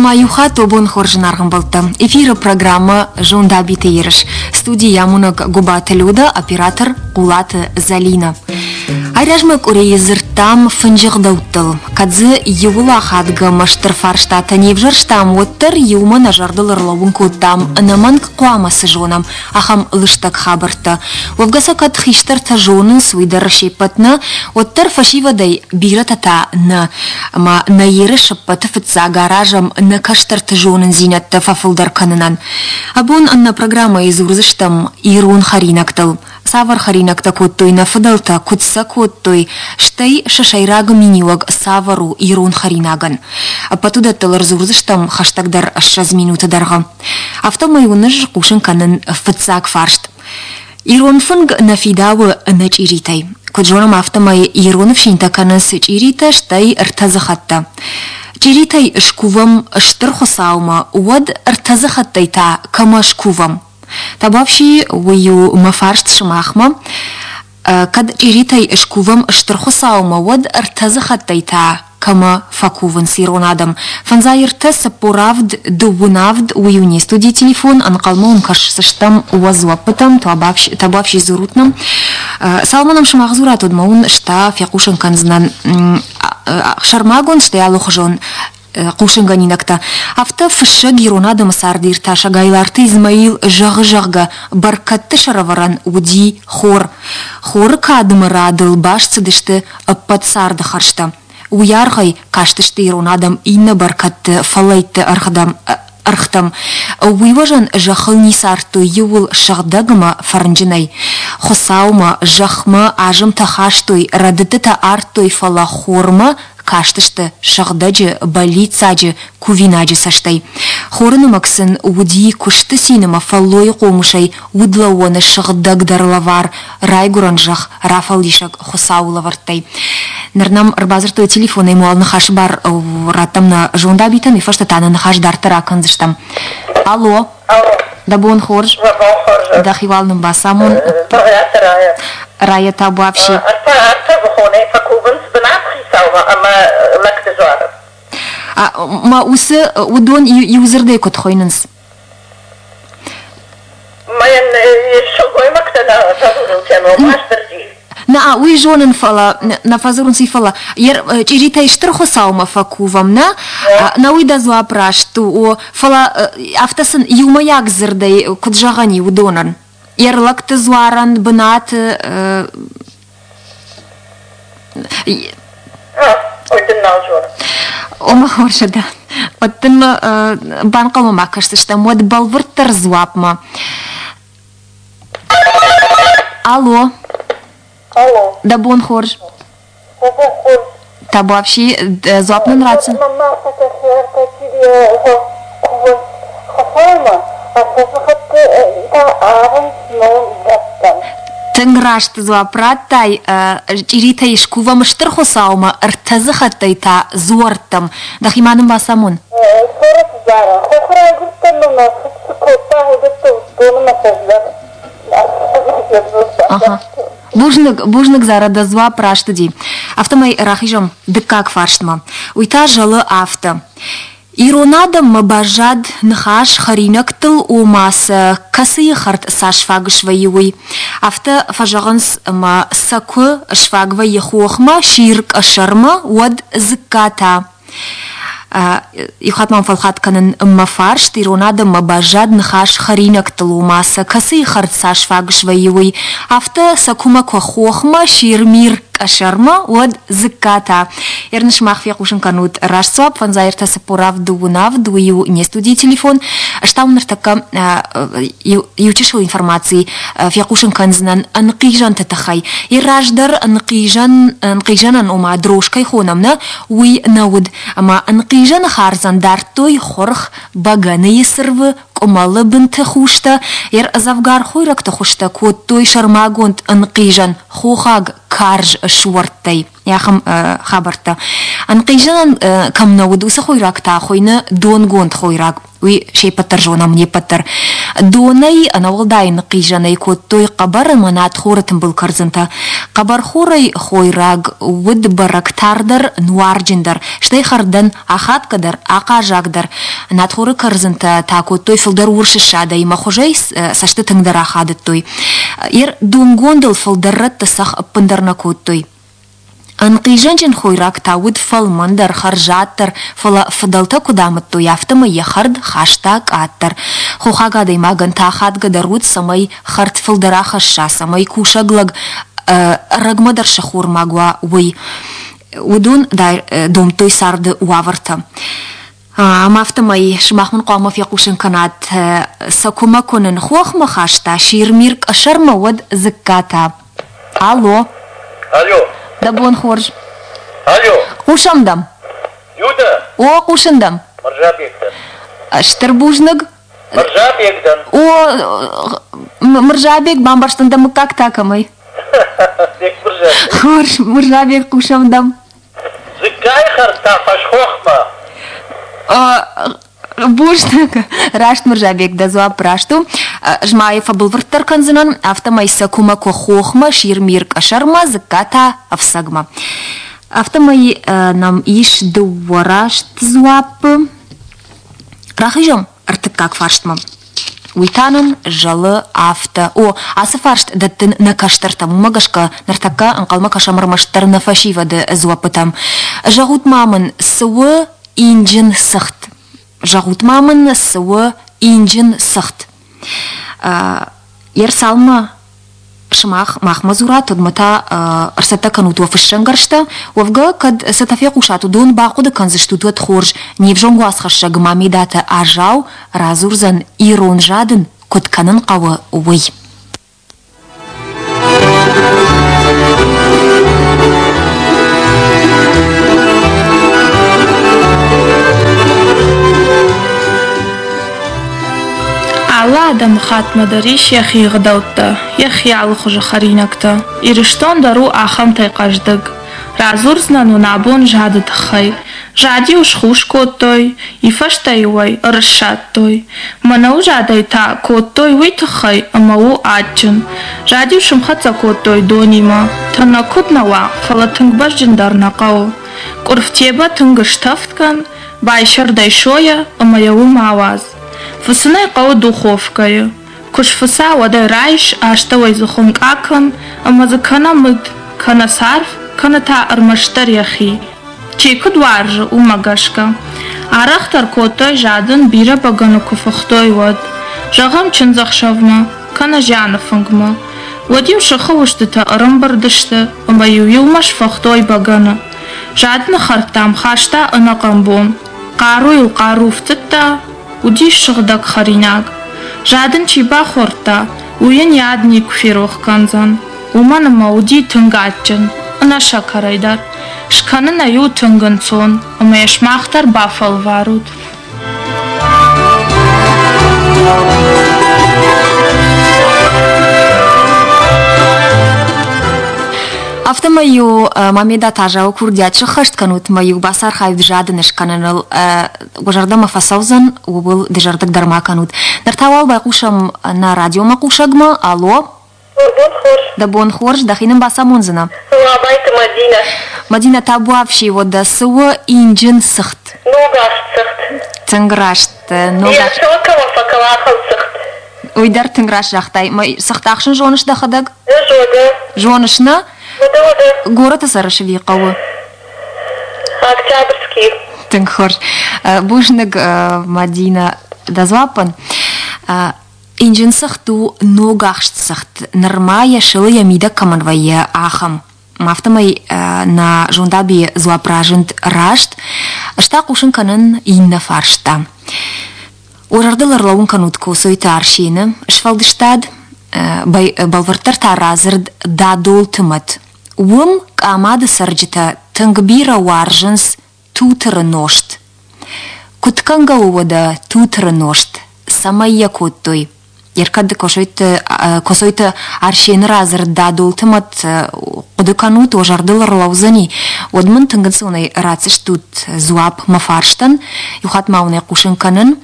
Ӕмӕ иу хатт обон хорз зынаргъ ӕмбӕлттӕ. Эфиры программӕ «Зондабиты ерыс». Студийы амонӕг Гуыбаты Люда, оператор Хъулаты Зӕлинӕ. Айразмӕ къуырийы дзырдтам фынджы гъдӕуттыл. Кӕд дзы иуыл ахадгӕ ӕмӕ стыр фарстатӕ не взӕрстам, уӕддӕр иумӕ нӕ зӕрдыл ӕрлӕууын кодтам, ӕнӕмӕнг хъуамӕ цы зонӕм, ахӕм лыстӕг хабӕрттӕ. Уӕвгӕ сӕ кӕд хистӕртӕ зонынц, уый дӕр се ппӕт нӕ, уӕддӕр фӕсивӕдӕй бирӕтӕ та нӕ. Ӕмӕ нӕ ерыс ӕппӕты фыццаг аразӕм нӕ кӕстӕрты зонындзинӕдтӕ фӕфылдӕр кӕнынӕн. Абон нӕ программӕйы дзурдзыстӕм ирон хӕринӕгтыл. Цавӕр хӕринӕгтӕ кодтой нӕ фыдӕлтӕ, куыд сӕ кодтой, стӕй сӕ сӕйраг миниуӕг цавӕр у ирон хӕринагӕн. Ӕппӕт уыдӕттыл ӕрдзурдзыстӕм хӕстӕгдӕр 20 минуты дӕргъы. Афтӕмӕй уын ӕз хъусын кӕнын фыццаг фарст. Ирон фынг нӕ фидауы ӕнӕ чъиритӕй. Куыд зонӕм, афтӕмӕй ирон ӕфсинтӕ кӕнынц чъиритӕ, стӕй ӕртӕдзыхӕттӕ. Чъиритӕй скувӕм Стыр Хуыцаумӕ, уӕд ӕртӕдзыхӕттӕй та кӕмӕ скувӕм? Табуафси, уый у мӕ фарст сымахмӕ. Кӕд чъиритӕй скувӕм Стыр Хуыцаумӕ, уӕд ӕртӕдзыхӕттӕй та кӕмӕ фӕкувынц ирон адӕм? Фӕндзай ӕртӕ, 47, дыууын авд, уый у не студийы телефон, ӕнхъӕлмӕ уын кӕсдзыстӕм уӕ дзуӕппытӕм, табуафси дзурут нӕм. Цалынмӕ нӕм сымах дзурат, уӕдмӕ уын ста фехъусын кӕндзынӕн сӕрмагонд, стӕй алыхуызон хъусынгӕнинӕгтӕ. Афтӕ фыссӕг ирон адӕмы цардиртасӕг Айларты Измаил зӕгъы, зӕгъгӕ, бӕркӕдты сӕрӕвӕрӕн уыди хор. Хоры кадымы радыл баст цыдысты ӕппӕт царды хӕрзтӕ. Уый аргъӕй кастысты ирон адӕм иннӕ бӕркӕдты фӕллӕйтты ӕргътӕм. Уый уӕзӕн зӕххыл ницы ардтой иууыл сыгъдӕг ӕмӕ фӕрнджынӕй. Хуыцаумӕ, зӕхмӕ азымтӕ хастой, рӕдыдтытӕ ардтой, фӕлӕ хормӕ кастысты сыгъдӕджы, бӕллиццаджы, кувинаджы цӕстӕй. Хоры нымӕг сын уыди куысты цин ӕмӕ фӕллойы хъомысӕй удлӕууӕны сыгъдӕгдӕр лӕвар, райгуырӕн зӕхх рафӕлдисӕг Хуыцауы лӕвӕрттӕй. Ныр нӕм ӕрбадзырдтой телефонӕй уал ныхасы бар раттӕм нӕ зондабитӕн, уый фӕстӕ та нӕ ныхас дарддӕр акӕндзыстӕм. Алло. Алло. Дӕ бон хорз. Дӕ бон хорз. Дӕхи уал нын бацамон. Бӕгъиаты Рая. Рая табуафси. Ӕртӕ быхонӕй фӕкувынц бынат хицаумӕ ӕмӕ лӕгты дзуары. Ма уыцы уыдон иу дзырдӕй куыд хуыйнынц? Мӕн сылгоймӕгтӕ нӕ фӕдзурынц йӕ ном Уастырджи. Нӕ, уый зонын, фӕлӕ нӕ фӕдзурынц, фӕлӕ чъиритӕй Стыр Хуыцаумӕ фӕкувӕм, нӕ? Нӕ уый дӕ дзуапп раст у, о, фӕлӕ афтӕ сын иумӕйаг дзырдӕй куыд зӕгъӕн и уыдонӕн? Йе рлӕгты дзуарӕн бынаты Ой, дын нал зонын. Ома хорз дӕ. Уӕд дын банхъӕлмӕ ма кӕсдзыстӕм, уӕд бӕлвырддӕр дзуапмӕ. Алло. Алло. Дӕ бон хорз. Дӕ бон хорз. Табуафси, дзуапп нын ратдзӕн? Мама Тынг раст дзуапп радтай. Чъиритӕй скувӕм Стыр Хуыцаумӕ, ӕртӕдзыхӕттӕй та дзуӕрттӕм. Дӕхи ма нын бацамон. Хоры зара. Хохы райгуырдтӕн мын мӕ фыд цы кодта, уыдӕттӕ уыдтон ӕмӕ сӕ Ага. Бузныг, бузныг, Зара, дӕ дзуапп раст уыди. Афтӕмӕй рахизӕм дыккаг фарстмӕ. Уый та зӕлы афтӕ. Ирон адӕммӕ баззад ныхас хӕринӕгтыл, ома сӕ кӕцыйы хӕрд цас фаг свӕййы, уый. Афтӕ фӕзӕгъынц, ӕмӕ сӕ куы сфаг вӕййы хохмӕ, сир къӕсӕрмӕ, уӕд дзыкка та. Иу хатт ма фӕлхатт кӕнын мӕ фарст, ирон адӕммӕ баззад ныхас хӕринӕгтыл, ома сӕ кӕцыйы хӕрд цас фаг свӕййы, уый. Афтӕ сӕ куымӕ куы хохмӕ, сир-мир къӕсӕрмӕ, уӕд дзыккатӕ. Ерын сымах фехъусын кӕнут раст дзуапп, фӕндзай ӕртӕ цыппор авд дыууын авд, уый у не студийы телефон. Ӕз та уын ныртӕккӕ иу чысыл информаци фехъусын кӕндзынӕн ӕнхъизӕнты тыххӕй. Йӕ раздӕр ӕнхъизӕн, ӕнхъизӕнӕн, ома дрожь кӕй хонӕм, нӕ, уый нӕ уыд. Ӕмӕ ӕнхъизӕны хардзӕн дардтой хуырх, бӕгӕныйы цырвы, къуымӕлы бынты хустӕ, йӕ дзӕвгар хойрӕгты хуызтӕ кодтой сӕрмагонд ӕнхъизӕн хохаг карз суӕрттӕй. Ахӕм хабӕрттӕ. Ӕнхъизӕнӕн кӕм нӕ уыд, уыцы хойраг та хуыйны донгонд хойраг. Уый се ппӕт дӕр зонӕм, не ппӕт дӕр. Донӕй ӕнӕуӕлдай ныхъхъизӕнӕй кодтой хъӕбӕр ӕмӕ надхоры тымбыл кӕрдзынтӕ. Хъӕбӕрхорӕй хойраг уыд бӕрӕг тардӕр, нуарджындӕр, стӕй хӕрдӕн ахадгӕдӕр, ахъаззагдӕр. Надхоры кӕрдзынтӕ та кодтой фылдӕр урс ссадӕй ӕмӕ хуызӕй цӕсты тынгдӕр ахадыдтой. Йе рдонгондыл фылдӕр рӕтты цӕхх ӕппындӕр нӕ кодтой. Ӕнхъизӕнджын хойраг та уыд фӕлмӕндӕр, хӕрзаддӕр, фӕлӕ фыдӕлтӕ куыд амыдтой, афтӕмӕй йӕ хӕрд хаста къаддӕр. Хохаг адӕймагӕн та ахадгӕдӕр уыд, цӕмӕй хӕрд фылдӕр ахӕсса, цӕмӕй кусӕг лӕг ӕрӕгмӕдӕр сӕххормаг уа, уый. Уыдон домдтой царды уавӕртӕ. Ӕмӕ афтӕмӕй сымах мын хъуамӕ фехъусын кӕнат, сӕ куымӕ куы нын хохмӕ хаста Ширмир къӕсӕрмӕ, уӕд дзыккатӕ. Алло. Алло. Дӕ бон хорз. Алло. Хъусӕм дӕм. Юда. О, хъусын дӕм. Мырзабег дӕн. Стыр бузныг. Мырзабег дӕн. О, Мырзабег, бамбӕрстон дӕ мыггаг та кӕмӕй? Бек Мырзабег. Хорз, Мырзабег, хъусӕм дӕм. Дзыккайы хӕрдтӕ фӕсхохмӕ. Бузныг, раст Мырзабег, дӕ дзуапп раст у. Ӕз ма йӕ фӕбӕлвырддӕр кӕндзынӕн, афтӕмӕй сӕ куымӕ куы хохмӕ, сир-мир къӕсӕрмӕ, дзыкка та ӕфцӕгмӕ. Афтӕмӕй нӕм ис дыууӕ раст дзуаппы. Рахизӕм ӕртыккаг фарстмӕ. Уый та нын зӕлы афтӕ. О, ацы фарст дӕттын нӕ кӕстӕртӕм, уымӕ гӕсгӕ ныртӕккӕ ӕнхъӕлмӕ кӕсӕм ӕрмӕстдӕр нӕ фӕсивӕды дзуӕппытӕм. Зӕгъут-ма мын, цы у инджын цыхт? Зӕгъут-ма мын, цы у инджын цыхт? Ерсалмӕ сымах махмӕ дзурат, уӕдмӕ та ӕрцӕттӕ кӕнут уӕ фыссӕнгӕрзтӕ. Уӕвгӕ, кӕд цӕтӕ фехъусат, уыдон бахъуыды кӕндзыстут, уӕд хорз. Не взонг уацхӕссӕг Мамедаты Азау радзурдзӕн, ирон задын куыд кӕнын хъӕуы, уый. Алы адӕмыхаттмӕ дӕр ис йӕхи ӕгъдӕуттӕ, йӕхи алыхуызы хӕринӕгтӕ. Ирыстон дӕр у ахӕмтӕй хъӕздыг. Радзурдзынӕн уын абон зады тыххӕй. Зад-иу схус кодтой, и фӕстӕ-иу ӕй ӕрыссадтой. Мӕнӕуы задӕй та кодтой уый тыххӕй, ӕмӕ у адджын. Зад-иу сымхӕццӕ кодтой донимӕ. Тӕнӕг куыд нӕ уа, фӕлӕ тынг бӕзджын дӕр нӕ хъӕуы. Къуырф тебӕ тынг стӕвд кӕн, байсӕрд ӕй сойӕ ӕмӕ йӕ уым ауадз. Фыцын ӕй хъӕуы духовкӕйы. Куы сфыца, уӕд ӕй райс, астӕуӕй дзы хуынкъ акӕн ӕмӕ дзы кӕнӕ мыд, кӕнӕ царв, кӕнӕ та ӕрмӕстдӕр йӕхи. Чи куыд уарзы, уымӕ гӕсгӕ. Арӕхдӕр кодтой задын, бирӕ бӕгӕны куы фыхтой, уӕд. Зӕгъӕм, чындзӕхсӕвмӕ, кӕнӕ зианы фынгмӕ. Уӕд-иу сыхы устытӕ ӕрӕмбырд сты ӕмӕ-иу иумӕ сфыхтой бӕгӕны. Задыны хӕрдтӕм хаста ӕнӕхъӕн бон. Хъаруйыл хъару фтыдта, уыдис сыгъдӕг хӕринаг. Задын чи бахордта, уый йын йӕ ад никуы ферох кӕндзӕн, уымӕн ӕмӕ уыди тынг адджын, ӕнӕ сӕкӕрӕй дӕр. Скӕнын ӕй у тынг ӕнцон, ӕмӕ йӕ сымах дӕр бафӕлварут. Афтӕмӕй-иу Мамеда Тазауы курдиат сыххӕст кӕнут мӕ-иу бацархайут задын скӕныныл. Уӕ зӕрдӕмӕ фӕцӕудзӕн, ууыл дызӕрдыг дӕр ма кӕнут. Ныр та уал байхъусӕм нӕ радиомӕхъусӕгмӕ. Алло! Бон хорз. Дӕ бон хорз, дӕхи нын бацамондзынӕ? Абайты Мадинӕ. Мадинӕ, табуафси, уӕдӕ цы у инджын цыхт? Ногахст цыхт. Тынг раст. Ногахст. Йӕ кӕмӕ фӕкӕлахыл цыхт. Уый дӕр тынг раст загътай. Цыхт ахсын зоныс дӕхӕдӕг? Зоны. Зоныс, нӕ? Уӕдӕ, уӕдӕ. Горӕты цӕрыс ӕви хъӕуы? Октябрьский. Тынг хорз. Бузныг, Мадинӕ, дӕ дзуаппӕн. Инджын цыхт у ногахст цыхт, нырма йӕ сылы йӕ мидӕг кӕмӕн вӕййы, ахӕм. Афтӕмӕй нӕ зондабийы дзуапп разынд раст, ӕз та хъусын кӕнын иннӕ фарста. Уӕ зӕрдыл ӕрлӕууын кӕнут Коцойты Арсены сфӕлдыстад, бӕлвырддӕр та радзырд «Дадолты мӕт». Уым Къамады цӕрджытӕ тынг бирӕ уарзынц тутыры нозт. Куыд кӕнгӕ у уӕдӕ тутыры нозт? Цӕмӕй йӕ кодтой? Еркӕд Косойты, Косойты Арсены радзырд Дадолты мӕт хъуыды кӕнут, уӕ зӕрдыл ӕрлӕудзӕни, уӕд мын тынг ӕнцонӕй ратдзыстут дзуапп мӕ фарстӕн. Иу хатт ма уын ӕй хъусын кӕнын.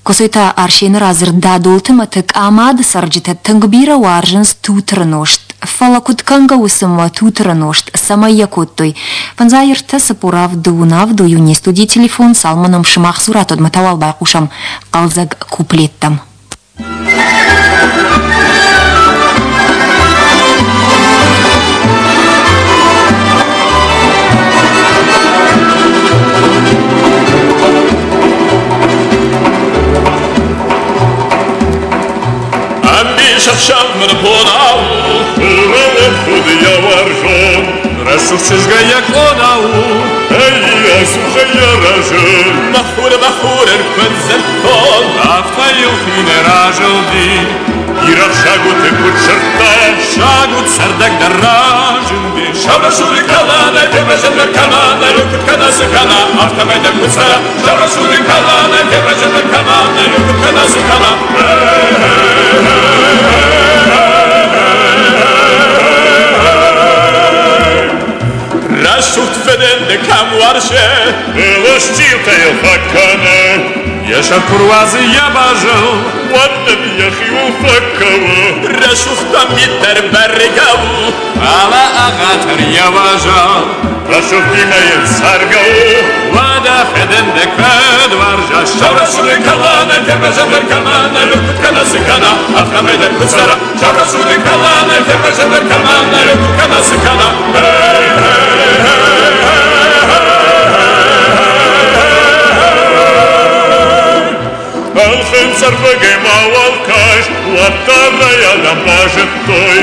Косойты Арсены радзырд Дадолты мӕты Къамады цӕрджытӕ тынг бирӕ уарзынц тутыры нозт. Фӕлӕ куыд кӕнгӕ у цымӕ тутыры нозт, цӕмӕй йӕ кодтой? Фӕндзай ӕртӕ цыппор авд дыууын авд у не студийы телефон, цалынмӕ нӕм сымах дзурат, уӕдмӕ та уал байхъусӕм хъӕлдзӕг куплеттӕм. Ӕмбисӕхсӕв мын бонау Худ йӕ уарзон, рӕсугъд чызгӕй йӕ къона у. Ӕй, ӕдзухӕй йӕ разы. Мӕ хур, мӕ хурӕн куыд дзырдтон, афтӕ йыл хинӕй разылди. Бирӕгъ сагуты куыд сырдта, сагуыт цӕрдӕгдӕр разынди. Сабрасуры каланӕй, феврӕзӕндӕр кӕмӕнӕй, куыд кӕна, цы кӕна, афтӕмӕй дӕр куыд цӕра. Сабрасуры каланӕй, феврӕзӕндӕр кӕмӕнӕй, куыд кӕна, цы кӕна. Рӕсугъд фӕдӕнды кӕм уарзы, Ылыстилтӕ йыл фӕкӕны. Йӕ сӕр куы руадзы йӕ базыл, уӕд ын йӕхиуыл фӕкӕуы. Рӕсугъд мит дӕр бӕргӕ у, фӕлӕ ӕгъатыр йӕ уазал. Рӕсугъдимӕ йын цӕргӕ у, уӕдӕ фӕдӕнды кӕд уарза. Саурӕсугъды кӕлӕнӕй фервӕзӕндӕр кӕмӕнӕй, куыд кӕна, цы кӕна, афтӕмӕй дӕр куыд цӕра. Саурӕсугъды кӕлӕнӕй фервӕзӕндӕр кӕмӕнӕй, куыд кӕна, цы кӕна. Ӕлхынцъ-ӕрфыгӕй мауал кӕс, уӕддӕр ӕй адӕм базыдтой.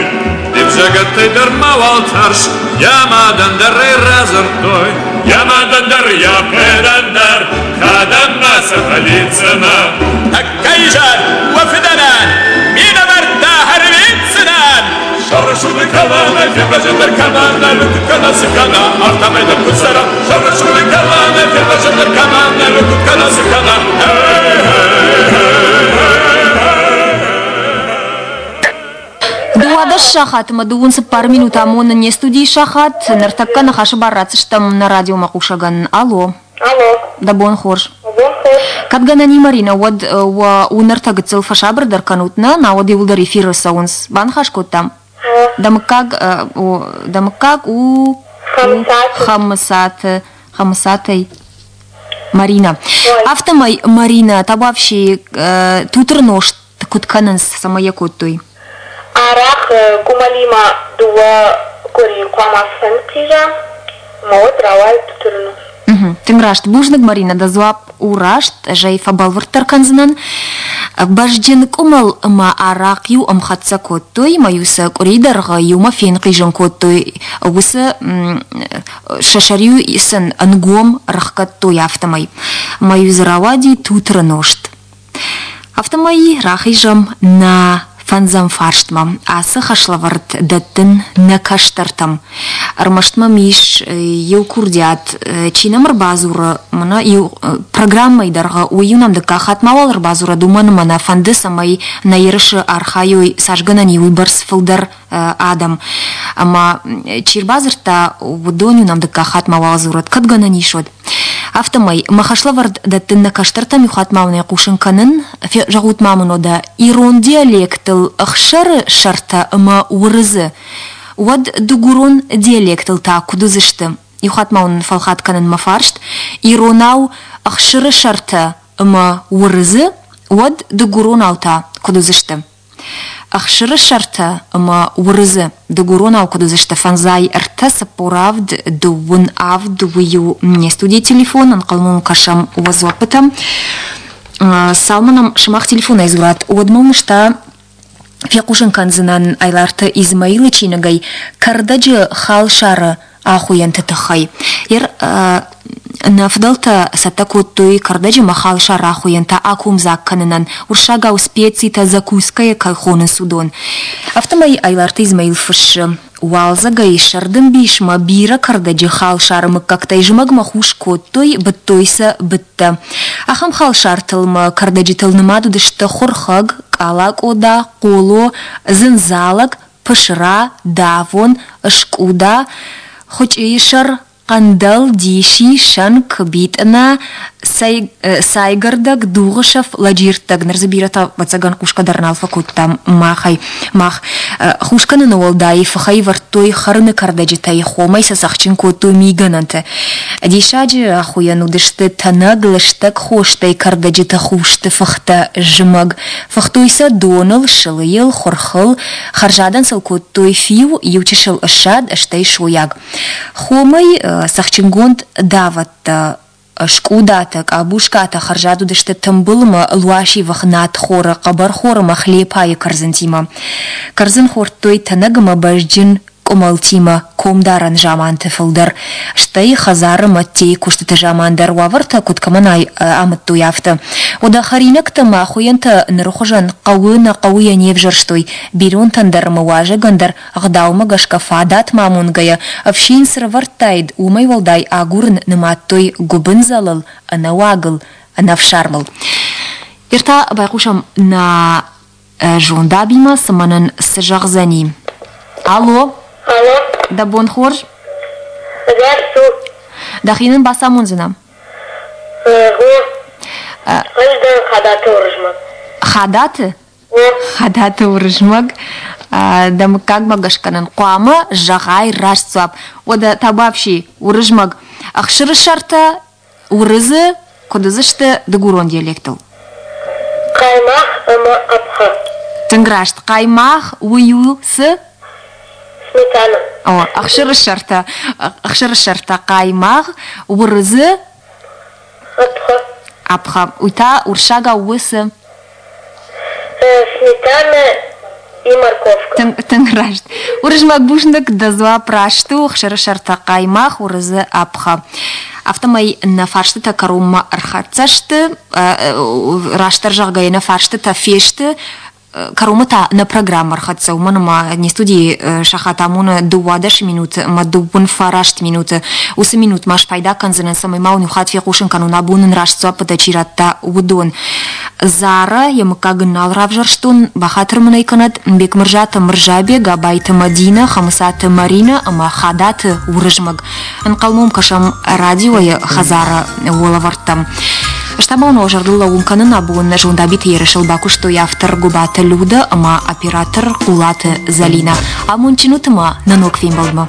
Де взӕгӕттӕй дӕр мауал тӕрс, йӕ мадӕн дӕр ӕй радзырдтой. Йӕ мадӕн дӕр, йӕ фыдӕн дӕр, кӕдӕм ма сӕ фӕлидздзынӕ. Тӕккӕ изӕр уӕ фыдӕнӕн минӕвӕрттӕ ӕрвитдзынӕн. Саурӕсугъды кӕлӕнӕй фервӕзӕндӕр кӕмӕнӕй, куыд кӕна, цы кӕна, афтӕмӕй дӕр куыд цӕра. Саурӕсугъды кӕлӕнӕй фервӕзӕндӕр кӕмӕнӕй, куыд кӕна, цы кӕна. 12 сахатмӕ дыууын цыппар минут амоны не студийы сахат. Ныртӕккӕ ныхасы бар ратдзыстӕм нӕ радиомӕхъусӕгӕн. Алло. Алло. Дӕ бон хорз. Бон хорз. Кӕд гӕнӕн и, Маринӕ, уӕд уӕ уынӕртӕ гыццыл фӕсабырдӕр кӕнут, нӕ, науӕд иууылдӕр эфиры цӕуынц. Баныхас кодтам? Дӕ мыггаг, дӕ мыггаг у Хӕмыцаты. Хӕмыцатӕй. Марина. Афтӕмӕй, Марина, табуафси, тутыр нозт куыд кӕнынц, цӕмӕй йӕ кодтой? Арӕх къуымӕлимӕ дыууӕ къуыри хъуамӕ фӕнхъиза, ӕмӕ уӕд рауайы тутыры нозт. Тынг раст. Бузныг, Марина, дӕ дзуапп у раст. Ӕз ӕй фӕбӕлвырддӕр кӕндзынӕн. Бӕзджын къуымӕл ӕмӕ арахъ-иу ӕмхӕццӕ кодтой, ӕмӕ-иу сӕ къуыри дӕргъы иумӕ фенхъизын кодтой. Уыцы сӕ сӕр-иу сын ӕнгом рыхгӕдтой афтӕмӕй. Ӕмӕ-иу дзы рауади тутыры нозт. Афтӕмӕй рахизӕм нӕ фӕндзӕм фарстмӕ. Ацы хӕслӕвӕрд дӕттын нӕ кӕстӕртӕм. Ӕрмӕст мӕм ис иу курдиат, чи нӕм ӕрбадзуры, мӕнӕ иу программӕйы дӕргъы, уый-иу нӕм дыккаг хатт мауал ӕрбадзурӕд, уымӕн ӕмӕ нӕ фӕнды, цӕмӕй нӕ ерысы архайой, цас гӕнӕн и, уыйбӕрц фылдӕр адӕм. Ӕмӕ чи рбадзырдта, уыдон-иу нӕм дыккаг хатт мауал дзурӕд, кӕд гӕнӕн ис, уӕд. Афтӕмӕй, мӕ хӕслӕвӕрд дӕттын нӕ кӕстӕртӕм иу хатт ма уын хъусын кӕнын, зӕгъут ма мын уӕдӕ, ирон диалектыл ӕхсӕры сӕртӕ ӕмӕ уырыдзы, уӕд дыгурон диалектыл та куыд уыдзысты? Иу хатт ма уын фӕлхат кӕнын мӕ фарст, иронау ӕхсыры сӕртӕ ӕмӕ уырыдзы, уӕд дыгуронау та куыд уыдзысты? Ӕхсыры сӕртӕ ӕмӕ уырыдзы дыгуронау куыд уыдзысты фӕндзай ӕртӕ цыппор авд дыууын авд уый-иу не студийы телефон, ӕнхъӕлмӕ уын кӕсӕм уӕ дзуаппытӕм. Цалынмӕ нӕм сымах телефонӕй дзурат, уӕдмӕ уын ӕз та фехъусын кӕндзынӕн Айларты Измаилы чиныгӕй Кӕрдӕджы халсары ахуыйӕнты тыххӕй. Ер нӕ фыдӕлтӕ цӕттӕ кодтой кӕрдӕджы мӕ халсар ахуыйӕнтӕ акомдзаг кӕнынӕн, уырыссагау специтӕ закускӕйӕ кӕй хонынц, уыдон. Афтӕмӕй Айларты Измаил фыссы: Уалдзӕгӕй сӕрды мбисмӕ бирӕ кӕрдӕджы халсары мыггӕгтӕй зымӕгмӕ хус кодтой, быдтой сӕ быдтӕ. Ахӕм халсартыл ма кӕрдӕджытыл нымад уыдысты хуырхӕг, къалакъода, хъоло, дзындзалӕг, пысыра, давон, скъуда, хуычъыйы сӕр, Хъӕндӕл, диси, сӕнк, битъына, цайгӕрдӕг, дугъысӕф, лӕджирттӕг. Ныр дзы бирӕтӕ, ӕвӕццӕгӕн, хъусгӕ дӕр нал фӕкодтам махӕй. Мах хус кӕныны уӕлдай фыхӕй вӕрдтой хӕрыны кӕрдӕджытӕй, хомӕй сӕ цӕхджын кодтой мигӕнӕнты. Диссаджы ахуыйӕн уыдысты тӕнӕг, лыстӕг хостӕй кӕрдӕджыты хусты фыхтӕ зымӕг. Фыхтой сӕ доныл, сылыйыл, хуырхыл, хӕрзадӕн сыл кодтой фиу, иучысыл ссад, стӕй сойаг. Хомӕй цӕхджынгонд давӕттӕ, скъудатӕ, къабускатӕ хӕрзад уыдысты тымбылмӕ, луасивых надхоры, хъӕбӕрхоры ӕмӕ хлепайы кӕрдзынтимӕ. Кӕрдзын хордтой тӕнӕг ӕмӕ бӕзджын къуымӕлтимӕ комдарӕн заманты фылдӕр, стӕй хӕдзары мӕдтейы куыстыты заман дӕр уавӕртӕ куыд кӕмӕн амыдтой, афтӕ. Уӕдӕ хӕринӕгтӕ ӕмӕ ахуыйӕнтӕ ныры хуызӕн хъӕуы нӕ хъӕуы йӕ не взӕрстой, бинонтӕн дӕр ӕмӕ уазӕгӕн дӕр Ӕгъдаумӕ гӕсгӕ фадатмӕ амонгӕйӕ, ӕфсин цы рывӕрдтаид, уымӕй уӕлдай агурын нымадтой гуыбындзӕлыл, ӕнӕуагыл, ӕнӕфсармыл. Ныр та байхъусӕм нӕ зондабимӕ, цымӕ нын цы зӕгъдзӕни. Алло! Алло! Дӕ бон хорз? Ӕгас у. Дӕхи нын бацамондзынӕ? Гъо. Ӕз дӕн Хадаты Уырызмӕг. Хадаты? Хадаты Уырызмӕг, дӕ мыггагмӕ гӕсгӕ нын хъуамӕ зӕгъай раст дзуапп. Уӕдӕ табуафси, Уырызмӕг, ӕхсыры сӕртӕ уырыдзы куыд уыдзысты дыгурон диалектыл? Хъаймагъ ӕмӕ ӕпхъӕ. Тынг раст. Хъаймагъ уый у цы? Сметана. О, ӕхсыры сӕртӕ, ӕхсыры сӕртӕ хъаймагъ, уырыдзы Ӕпхъӕ. Ӕпхъӕ. Уый та урсагау у цы? Сметана и морковка. Тынг, тынг раст. Уырызмӕг бузныг, дӕ дзуапп раст у, ӕхсыры сӕртӕ хъаймагъ, уырыдзы ӕпхъӕ. Афтӕмӕй нӕ фарстытӕ кӕронмӕ ӕрхӕццӕ сты, растдӕр зӕгъгӕйӕ, нӕ фарстытӕ фесты. Кӕронмӕ та нӕ программӕ ӕрхӕццӕ, уымӕн ӕмӕ не студийы сахат амоны 12 минуты ӕмӕ 39 минуты. Уыцы минут ма спайда кӕндзынӕн, цӕмӕй ма уын иу хатт фехъусын кӕнон, абон ын раст дзуаппытӕ чи радта, уыдон. Зара, йӕ мыггаг ын нал равзӕрстон, бахатыр мын ӕй кӕнӕд, Бекмырзаты Мырзабег, Абайты Мадинӕ, Хӕмыцаты Маринӕ ӕмӕ Хадаты Уырызмӕг. Ӕнхъӕлмӕ кӕсӕм радиойы хӕдзары уӕлӕвӕрдтӕм. Стӕй ма зӕрдыл лӕууын кӕнын, абон Зондабиты ерысыл бакуыстой автор Гуыбаты Людӕ ӕмӕ оператор Хъулаты Зӕлинӕ. Амондджын ут ӕмӕ нӕ ног фембӕлдмӕ!